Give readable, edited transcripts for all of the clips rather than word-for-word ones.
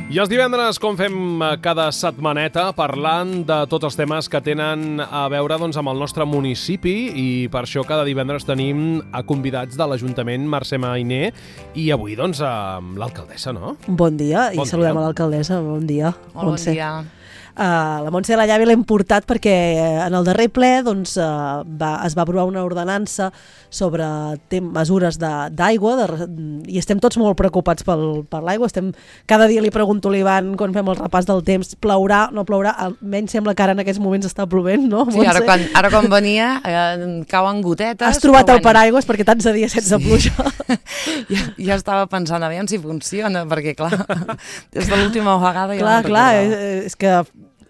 I els divendres, com fem cada setmaneta, parlant de tots els temes que tenen a veure amb el nostre municipi, i per això cada divendres tenim a convidats de l'Ajuntament, Mercè Mainer, i avui amb l'alcaldessa, no? Bon dia, i saludem a l'alcaldessa. Bon dia, Montse. Bon dia. La Montse de la Llave l'hem portat perquè en el darrer ple es va aprovar una ordenança sobre mesures d'aigua i estem tots molt preocupats per l'aigua. Cada dia li pregunto a l'Ivan quan fem el repàs del temps, plourà, no plourà, almenys sembla que ara en aquests moments està plovent, no? Sí, ara quan venia cauen gotetes. Has trobat el paraigües perquè tants de dies sense pluja. Ja estava pensant, aviam si funciona, perquè clar, des de l'última vegada ja Clar, és que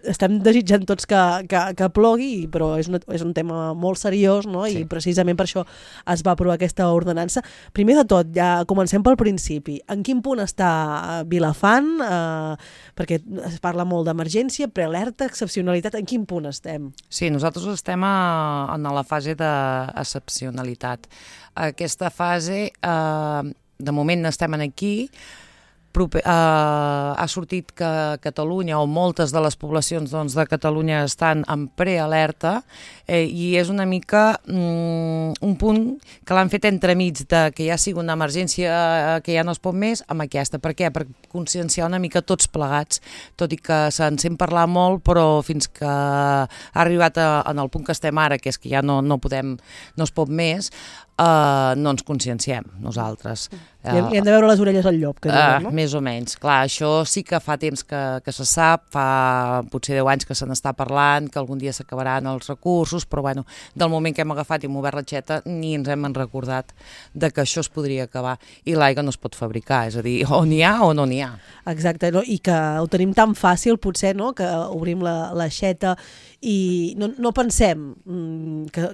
estem desitjant tots que plogui, però és un tema molt seriós, no? Sí. I precisament per això es va aprovar aquesta ordenança. Primer de tot, ja comencem pel principi. En quin punt està Vilafant? Perquè es parla molt d'emergència, prealerta, excepcionalitat. En quin punt estem? Sí, nosaltres estem en la fase d'excepcionalitat. Aquesta fase, de moment estem aquí. Ha sortit que Catalunya o moltes de les poblacions de Catalunya estan en prealerta i és una mica un punt que l'han fet entremig de que ja sigui una emergència que ja no es pot més amb aquesta. Per què? Per conscienciar una mica tots plegats, tot i que se'n sent parlar molt, però fins que ha arribat en el punt que estem ara, que és que ja no es pot més, no ens conscienciem nosaltres. I hem de veure les orelles al llop, que diuen, no? Més o menys. Clar, això sí que fa temps que se sap, fa potser 10 anys que se n'està parlant, que algun dia s'acabaran els recursos, però bueno, del moment que hem agafat i hem obert l'aixeta ni ens hem recordat de que això es podria acabar i l'aigua no es pot fabricar, és a dir, o n'hi ha o no n'hi ha. Exacte, no? I que ho tenim tan fàcil potser, no? Que obrim l'aixeta i no pensem que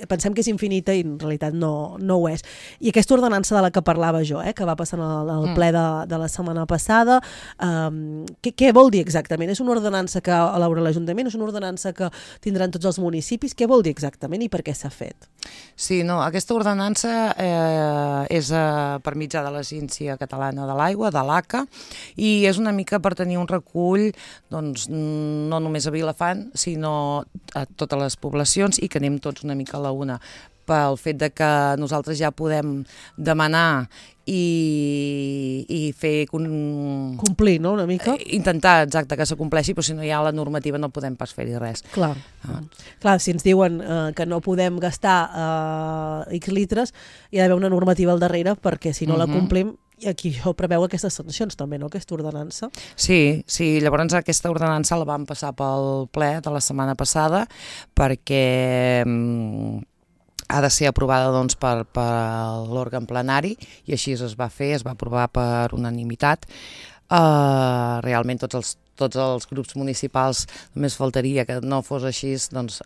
pensem que és infinita i en realitat no ho és. I aquesta ordenança de la que parlava jo, que va passar al ple de la setmana passada, què vol dir exactament? És una ordenança que elabora l'Ajuntament? És una ordenança que tindran tots els municipis? Què vol dir exactament i per què s'ha fet? Sí, no, aquesta ordenança és per mitjà de l'Agència Catalana de l'Aigua, de l'ACA, i és una mica per tenir un recull, doncs, no només a Vilafant, sinó a totes les poblacions i que anem tots una mica a la una, pel fet de que nosaltres ja podem demanar i fer... Complir, no?, una mica? Intentar, exacte, que s'acompleixi, però si no hi ha la normativa no podem pas fer-hi res. Clar, si ens diuen que no podem gastar X litres, hi ha d'haver una normativa al darrere perquè si no la complim, i aquí jo preveu aquestes sancions també, no?, aquesta ordenança. Sí, llavors aquesta ordenança la vam passar pel ple de la setmana passada perquè ha de ser aprovada per l'òrgan plenari i així es va fer, es va aprovar per unanimitat. Realment tots els grups municipals, només faltaria que no fos així, doncs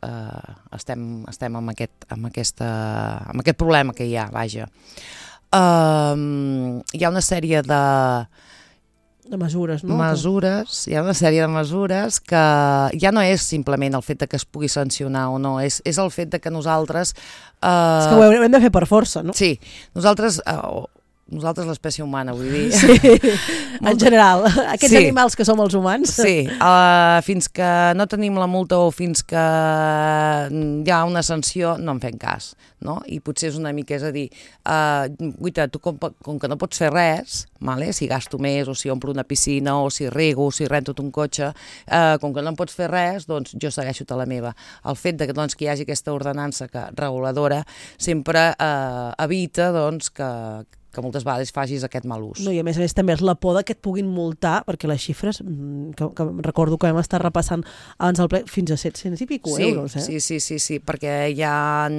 estem amb aquest problema que hi ha, vaja. Hi ha una sèrie de mesures, no? Hi ha una sèrie de mesures que ja no és simplement el fet que es pugui sancionar o no, és el fet que nosaltres... És que ho hem de fer per força, no? Sí, nosaltres l'espècie humana, vull dir... Sí, en general, aquests animals que som els humans. Sí, fins que no tenim la multa o fins que hi ha una sanció no en fem cas, no? I potser és una mica, és a dir, guaita, tu com que no pots fer res, si gasto més o si omplo una piscina o si rego o si rento un cotxe, com que no em pots fer res, doncs jo segueixo la meva. El fet que hi hagi aquesta ordenança reguladora sempre evita que moltes vegades facis aquest mal ús. No, i a més també és la por que et puguin multar, perquè les xifres, que recordo que vam estar repassant abans del ple, fins a 700 i pico euros. Sí, perquè hi ha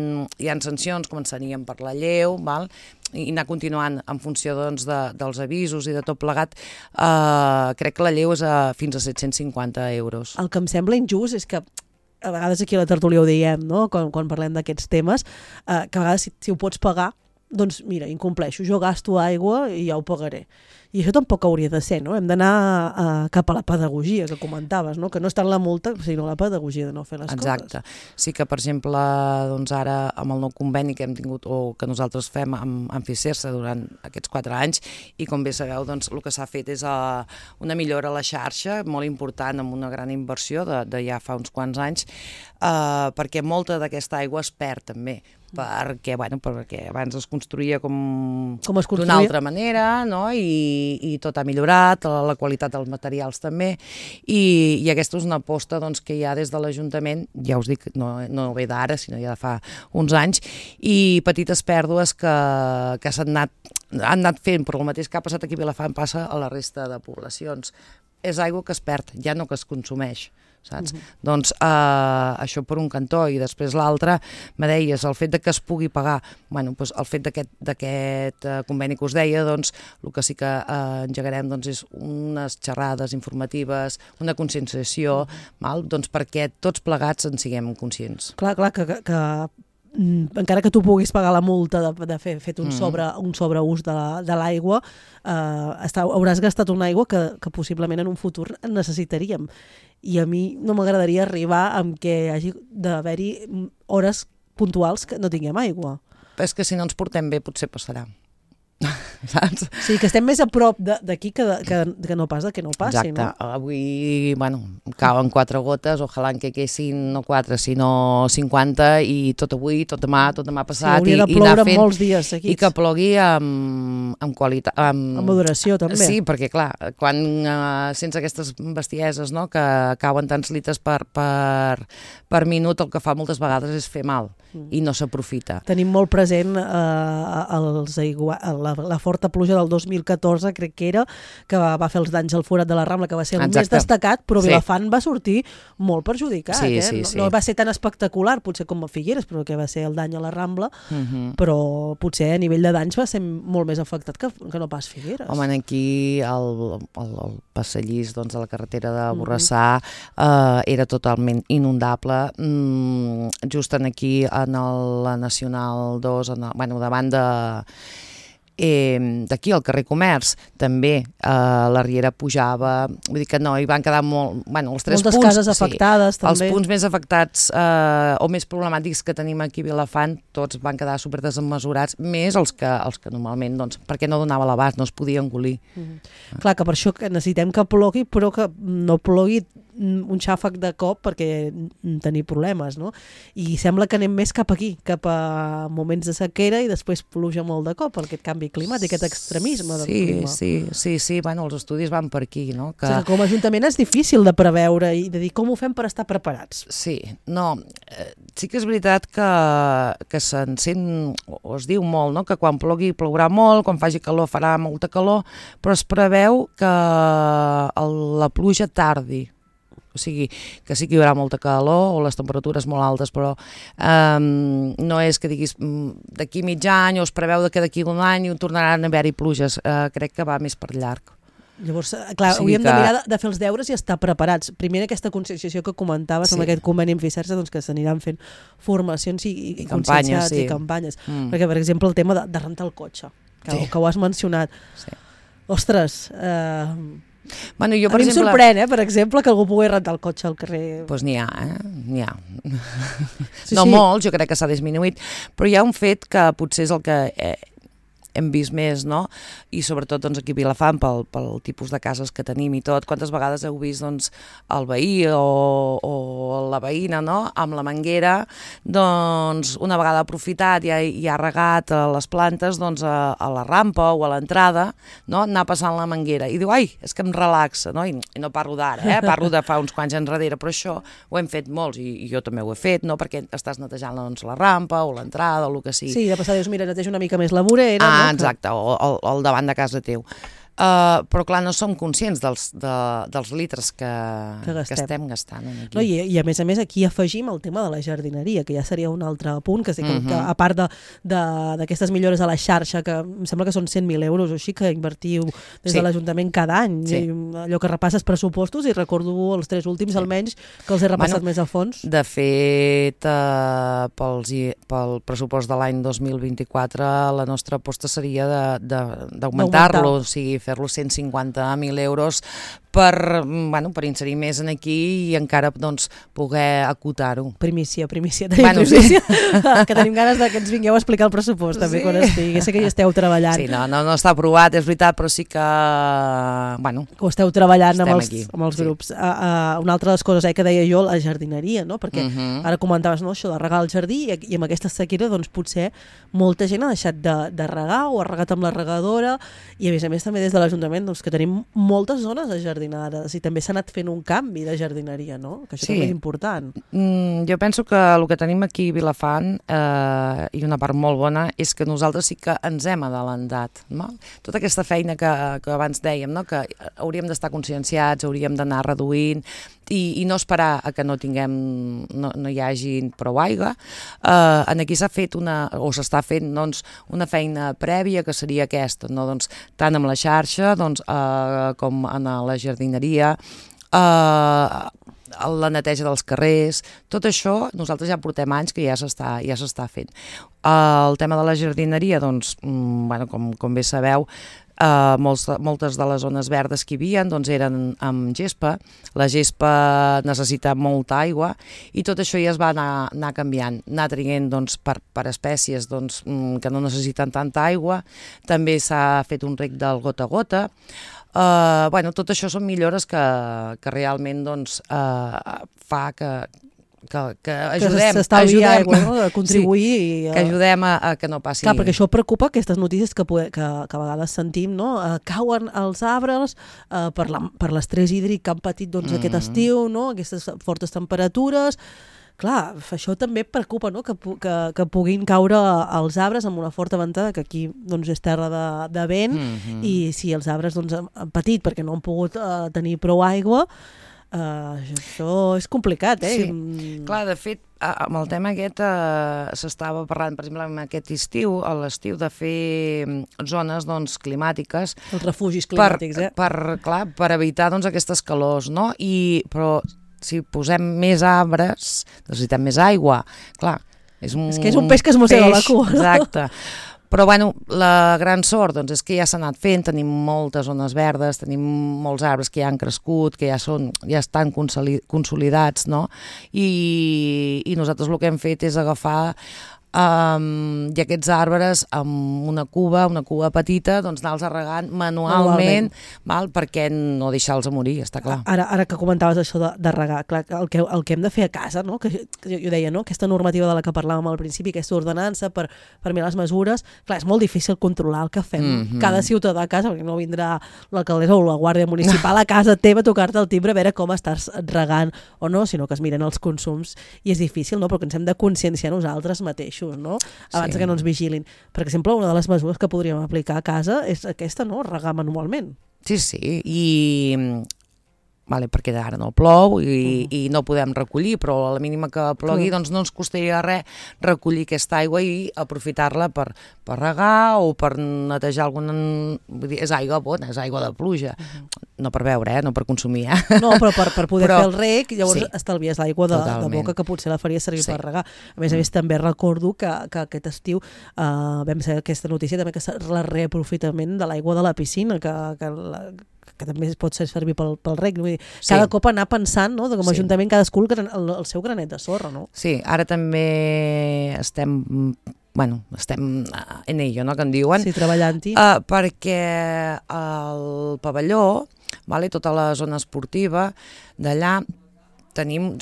sancions, començarien per la lleu, val? I anar continuant en funció dels avisos i de tot plegat, crec que la lleu és fins a 750 euros. El que em sembla injust és que a vegades aquí a la tertúlia ho diem, no? Quan parlem d'aquests temes, que a vegades si ho pots pagar, doncs mira, incompleixo, jo gasto aigua i ja ho pagaré. I això tampoc hauria de ser, no? Hem d'anar cap a la pedagogia que comentaves, no? Que no és tant la multa, sinó la pedagogia de no fer les coses. Exacte. Sí que, per exemple, doncs ara amb el nou conveni que hem tingut o que nosaltres fem amb FICERSA durant aquests 4 anys, i com bé sabeu, doncs el que s'ha fet és una millora a la xarxa molt important, amb una gran inversió de ja fa uns quants anys, perquè molta d'aquesta aigua es perd també, perquè abans es construïa d'una altra manera, no? I tot ha millorat, la qualitat dels materials també, i aquesta és una aposta doncs, que hi ha des de l'Ajuntament, ja us dic, no ve d'ara, sinó ja de fa uns anys, i petites pèrdues que han anat fent, però el mateix que ha passat aquí a Vilafant passa a la resta de poblacions. És aigua que es perd, ja no que es consumeix. Saps? Doncs això per un cantó, i després l'altre, me deies, el fet de que es pugui pagar, doncs el fet d'aquest conveni que us deia, doncs el que sí que engegarem doncs, és unes xerrades informatives, una conscienciació, doncs perquè tots plegats en siguem conscients. Clar, que encara que tu puguis pagar la multa d'haver fet un sobreús de l'aigua, hauràs gastat una aigua que possiblement en un futur necessitaríem. I a mi no m'agradaria arribar amb que hagi d'haver-hi hores puntuals que no tinguem aigua. És que si no ens portem bé potser passarà. Saps? Sí, que estem més a prop d'aquí que no pas que no passi. Exacte. No? Avui, cauen 4 gotes, ojalà que quessin no 4, sinó 50, i tot avui, tot demà passat. Sí, hauria de ploure molts dies seguits. I que plogui amb qualitat. Amb moderació, també. Sí, perquè clar, quan sents aquestes bestieses, no?, que cauen tants litres per minut, el que fa moltes vegades és fer mal, i no s'aprofita. Tenim molt present la forta pluja del 2014, crec que era, que va fer els danys al forat de la Rambla, que va ser el més destacat, però Vilafant va sortir molt perjudicat. Sí. No va ser tan espectacular, potser com a Figueres, però que va ser el dany a la Rambla, però potser a nivell de danys va ser molt més afectat que no pas Figueres. Home, aquí el passadís de la carretera de Borrassà era totalment inundable. Just aquí, en la Nacional 2, davant d'aquí al carrer Comerç també la riera pujava, vull dir que no, hi van quedar els 3 moltes punts, cases afectades també. Els punts més afectats o més problemàtics que tenim aquí a Vilafant, tots van quedar super desmesurats, més els que normalment, doncs, perquè no donava l'abast, no es podia engolir. Clar, que per això que necessitem que plogui, però que no plogui un xàfec de cop perquè tenir problemes, no? I sembla que anem més cap aquí, cap a moments de sequera i després pluja molt de cop, aquest canvi climàtic, aquest extremisme del clima. Sí, els estudis van per aquí, no? O sigui, com a Ajuntament és difícil de preveure i de dir com ho fem per estar preparats. Sí, no, sí que és veritat que se'n sent, o es diu molt, no?, que quan plogui plourà molt, quan faci calor farà molta calor, però es preveu que la pluja tardi. O sigui, que sí que hi haurà molta calor o les temperatures molt altes, però no és que diguis d'aquí mig any o es preveu que d'aquí un any tornaran a haver-hi pluges. Crec que va més per llarg. Llavors, clar, hauríem de mirar de fer els deures i estar preparats. Primer aquesta conscienciació que comentaves amb aquest conveni amb FICERSA, doncs que s'aniran fent formacions i conscienciats i campanyes. Perquè, per exemple, el tema de rentar el cotxe, que ho has mencionat. Ostres, a mi em sorprèn, per exemple, que algú pugui rentar el cotxe al carrer. Doncs n'hi ha, n'hi ha. No molt, jo crec que s'ha disminuït, però hi ha un fet que potser és el que hem vist més, no? I sobretot doncs, aquí a Vilafant, pel tipus de cases que tenim i tot, quantes vegades heu vist doncs, el veí o la veïna, no?, amb la manguera, doncs una vegada aprofitat i ha regat les plantes doncs, a la rampa o a l'entrada, no?, anar passant la manguera i diu, ai, és que em relaxa, no? I no parlo d'ara, parlo de fa uns quants anys enrere, però això ho hem fet molts i jo també ho he fet, no?, perquè estàs netejant doncs, la rampa o l'entrada o el que sigui. Sí, de passar dius, mira, neteja una mica més la vorera. Exacte, o al davant de casa teu. Però clar, no som conscients dels litres que estem gastant aquí. No, i a més, aquí afegim el tema de la jardineria, que ja seria un altre punt, que a part d'aquestes millores a la xarxa, que em sembla que són 100.000 euros o així, que invertiu des de l'Ajuntament cada any, allò que repasses pressupostos, i recordo els 3 últims almenys, que els he repassat més a fons. De fet, pel pressupost de l'any 2024, la nostra aposta seria d'augmentar-lo, o sigui, fer-lo 150.000 euros per inserir més en aquí i encara doncs, poder acotar-ho. Primícia. Primícia. Sí. Que tenim ganes que ens vingueu a explicar el pressupost també quan estigui. Sé que hi esteu treballant. Sí, no està aprovat, és veritat, però sí que... que ho esteu treballant amb els grups. Una altra de les coses que deia jo, la jardineria, no? Perquè ara comentaves això de regar el jardí i amb aquesta sequera doncs, potser molta gent ha deixat de regar o ha regat amb la regadora i a més també des de l'Ajuntament doncs, que tenim moltes zones ajardinades i també s'ha anat fent un canvi de jardineria, no? Que això també és important. Jo penso que el que tenim aquí a Vilafant i una part molt bona és que nosaltres sí que ens hem adelantat. No? Tota aquesta feina que abans dèiem, no? Que hauríem d'estar conscienciats, hauríem d'anar reduint i no esperar a que no hi hagi prou aigua. Aquí s'ha fet s'està fent doncs, una feina prèvia que seria aquesta, no? Doncs, tant amb la xarxa com en la jardineria, la neteja dels carrers, tot això nosaltres ja portem anys que ja s'està fent. El tema de la jardineria, doncs, com bé sabeu, moltes de les zones verdes que hi havia doncs, eren amb gespa. La gespa necessita molta aigua i tot això ja es va anar canviant, anar traient doncs, per espècies doncs, que no necessiten tanta aigua. També s'ha fet un rec del gota a gota. Tot això són millores que realment doncs, fa que ajudem aigua, no? A contribuir que ajudem a que no passi. Clar, perquè això preocupa, aquestes notícies que a vegades sentim, no? Cauen els arbres per l'estrès hídric que han patit aquest estiu, no? Aquestes fortes temperatures. Clar, això també preocupa, no? Que puguin caure els arbres amb una forta ventada, que aquí doncs, és terra de vent, i si els arbres doncs, han patit perquè no han pogut tenir prou aigua, això és complicat, Sí. Clar, de fet, amb el tema aquest s'estava parlant, per exemple, amb aquest estiu, a l'estiu, de fer zones doncs, climàtiques. Els refugis climàtics, per evitar doncs, aquestes calors, no? Però si posem més arbres, necessitem més aigua. Clar, és que és un peix que es mossega la cua. Exacte. Però la gran sort doncs, és que ja s'ha anat fent, tenim moltes zones verdes, tenim molts arbres que ja han crescut, que ja estan consolidats, no? I nosaltres el que hem fet és agafar i aquests arbres amb una cuba petita, doncs anar-los regant manualment, perquè no deixar-los morir, està clar. Ara que comentaves això de regar, clar, el que hem de fer a casa, no? Que jo deia, no? Aquesta normativa de la que parlàvem al principi, aquesta ordenança per mirar les mesures, clar, és molt difícil controlar el que fem cada ciutadà a casa, perquè no vindrà l'alcaldessa o la guàrdia municipal a casa teva a tocar-te el timbre a veure com estàs regant o no, sinó que es miren els consums i és difícil, no? Però que ens hem de conscienciar nosaltres mateixos, no? Abans que no ens vigilin. Per exemple, una de les mesures que podríem aplicar a casa és aquesta, no? Regar manualment. Sí, perquè ara no plou i no podem recollir, però a la mínima que plogui doncs no ens costaria res recollir aquesta aigua i aprofitar-la per regar o per netejar és aigua bona, és aigua de pluja. No per beure, no per consumir. No, però per poder fer el reg, llavors estalvies l'aigua de boca que potser la faria servir per regar. A més, també recordo que aquest estiu vam saber aquesta notícia també que el reaprofitament de l'aigua de la piscina, que també es pot servir pel reg. Vull dir, cada cop anar pensant, no? Com a Ajuntament cadascú el seu granet de sorra, no? Sí, ara també estem en ello, no?, que en diuen. Sí, treballant-hi. Perquè al pavelló, tota la zona esportiva, d'allà tenim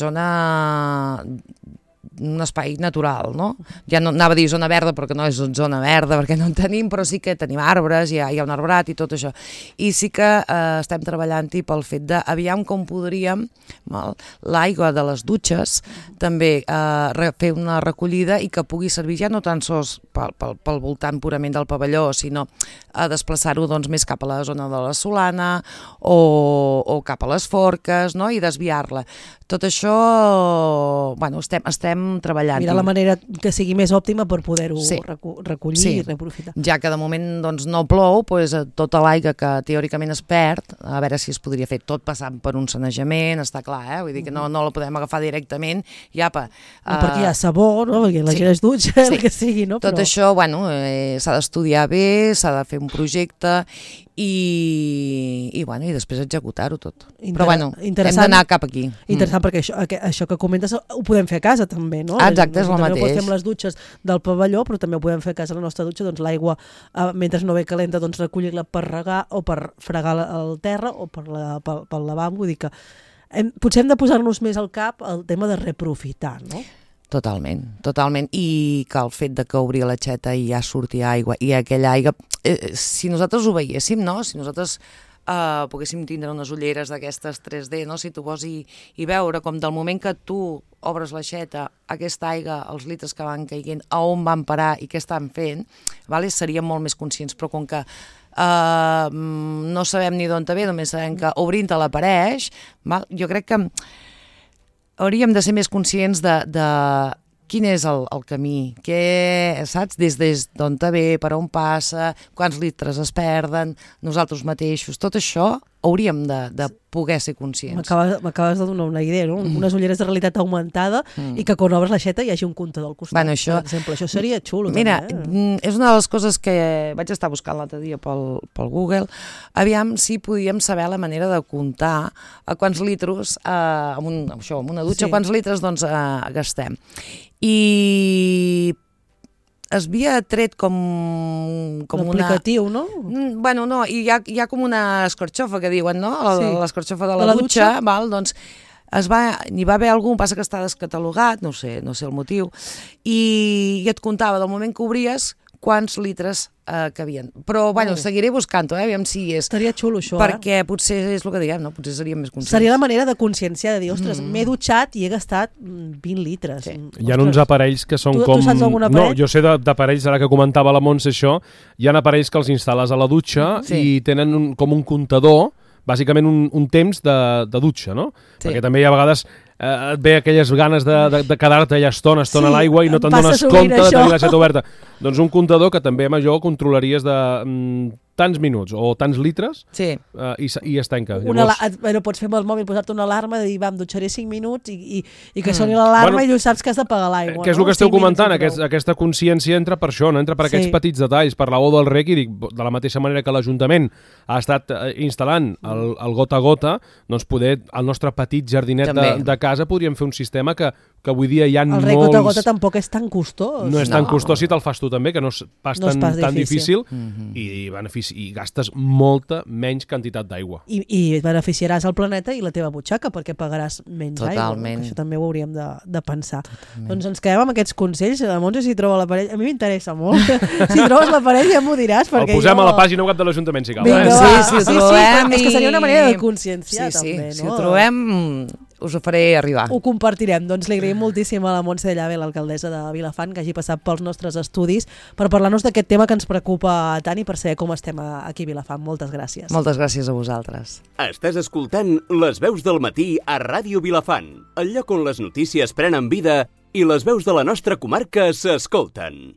un espai natural, no? Ja no anava a dir zona verda perquè no és zona verda, perquè no en tenim, però sí que tenim arbres, hi ha un arbrat i tot això. I sí que estem treballant-hi pel fet d'aviam com podríem l'aigua de les dutxes també fer una recollida i que pugui servir ja no tan sols pel voltant purament del pavelló, sinó a desplaçar-ho doncs, més cap a la zona de la Solana o cap a les Forques, no? I desviar-la. Tot això, estem treballant. Mira la manera que sigui més òptima per poder-ho recollir i reaprofitar. Ja que de moment doncs, no plou, tota l'aigua que teòricament es perd, a veure si es podria fer tot passant per un sanejament, està clar, vull dir que no la podem agafar directament i apa. Perquè hi ha sabó, no? Perquè la gent es dutxa, el que sigui, no? Tot això, s'ha d'estudiar bé, s'ha de fer un projecte i després executar-ho tot. Però bueno, hem d'anar cap aquí. Interessant, perquè això que comentes ho podem fer a casa també, no? Exacte, és el mateix. També ho podem fer amb les dutxes del pavelló, però també ho podem fer a casa a la nostra dutxa, doncs l'aigua, mentre no ve calenta, doncs recollir-la per regar o per fregar el terra o pel lavabo. Vull dir que potser hem de posar-nos més al cap el tema de reprofitar, no? Totalment. I que el fet de que obrir l'aixeta i ja surti aigua, i aquella aigua, si nosaltres ho veiéssim, no? Si nosaltres poguéssim tindre unes ulleres d'aquestes 3D, no? Si tu vols i veure com del moment que tu obres l'aixeta, aquesta aigua, els litres que van caient, a on van parar i què estan fent, vale? Seríem molt més conscients, però com que no sabem ni d'on ve, només sabem que obrint-te l'apareix, jo crec que hauríem de ser més conscients de quin és el camí, saps? Des d'on ve, per on passa, quants litres es perden, nosaltres mateixos, tot això hauríem de poder ser conscients. M'acabes de donar una idea, no? Unes ulleres de realitat augmentada i que quan obres l'aixeta hi hagi un comptador al costat. Bueno, això, per exemple, això seria xulo. Mira, també, és una de les coses que vaig estar buscant l'altre dia pel Google. Aviam si podíem saber la manera de comptar a quants litres, amb una dutxa, quants litres doncs, gastem. I es havia tret com l'aplicatiu, no? Bueno, no, i hi ha com una escorxofa que diuen, no? L'escorxofa de la dutxa, val? Doncs n'hi va haver algun, passa que està descatalogat, no sé el motiu, i et comptava del moment que obries quants litres cabien. Però, bueno, seguiré buscant-ho, aviam si és... Estaria xulo, això, perquè potser és el que diguem, no? Potser seríem més conscients. Seria la manera de conscienciar, de dir, ostres, m'he dutxat i he gastat 20 litres. Sí. Hi ha uns aparells que són com... Tu saps algun aparell? No, jo sé d'aparells, ara que comentava la Montse això, hi ha aparells que els instal·les a la dutxa i tenen com un comptador, bàsicament un temps de dutxa, no? Sí. Perquè també hi ha vegades et ve aquelles ganes de quedar-te allà estona a l'aigua i no te'n dones compte de tenir l'aixeta oberta. Doncs un comptador que també amb allò controlaries de tants minuts o tants litres i es tanca. Però pots fer amb el mòbil, posar-te una alarma de dir, em dutxaré 5 minuts i que soni l'alarma i tu saps que has d'apagar l'aigua. Que és el que esteu comentant, aquesta consciència entra per això, entra per aquests petits detalls, per la O del REC, i dic, de la mateixa manera que l'Ajuntament ha estat instal·lant el gota a gota, doncs poder, al nostre petit jardinet de casa podríem fer un sistema que avui dia hi ha molts... El REC gota a gota tampoc és tan costós. No és tan costós si te'l fas tu també, que no és pas tan difícil i gastes molta menys quantitat d'aigua. I beneficiaràs el planeta i la teva butxaca perquè pagaràs menys aigua. Això també ho hauríem de pensar. Doncs ens quedem amb aquests consells. La Montse, si troba l'aparell... A mi m'interessa molt. Si trobes l'aparell ja m'ho diràs. El posem a la pàgina web de l'Ajuntament, si cal. Sí, ho trobem. És que seria una manera de conscienciar també. Si ho trobem, us ho faré arribar. Ho compartirem. Doncs li agraïm moltíssim a la Montse de Llave, l'alcaldessa de Vilafant, que hagi passat pels nostres estudis per parlar-nos d'aquest tema que ens preocupa tant i per saber com estem aquí a Vilafant. Moltes gràcies. Moltes gràcies a vosaltres. Estàs escoltant Les Veus del Matí a Ràdio Vilafant, el lloc on les notícies prenen vida i les veus de la nostra comarca s'escolten.